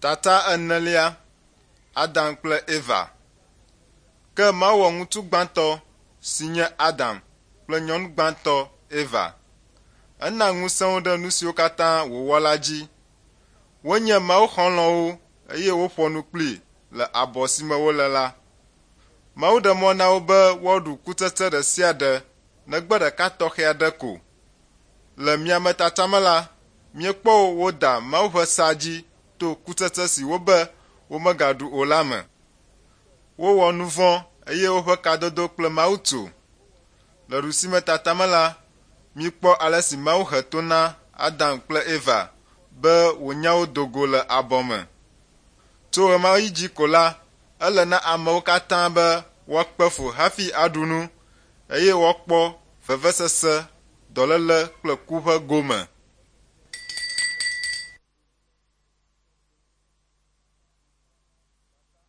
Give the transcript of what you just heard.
Tata enelia, Adam kple Eva. Ke Mawu wɔ ŋutsu gbãtɔ si nye Adam kple nyɔnu gbãtɔ Eva. Ena ŋusẽ wo ɖe nu siwo katã wòwɔ la dzi. Wonye Mawu xɔlɔ̃wo eye woƒoa nu kplii le abɔ si me wole la. Mawu ɖe mɔ na wo be woaɖu kutsetse ɖe sia ɖe negbe ɖeka tɔxɛ aɖe ko. Le miametata me la, míekpɔ wo woda Mawu ƒe sea dzi to kutsetse si wobe womegaɖu o la me. Wowɔ nu vɔ̃ eye woƒe kadodo kple Mawu tso. Le ɖusimetata me la, míekpɔ ale si Mawu he to na Adam kple Eva be wònya wo do go le abɔ me. Tso ɣemaɣi dzi ko la, ele na amewo katã be woakpe fu hafi aɖu nu eye woakpɔ vevesese, dɔléle kple ku ƒe gome.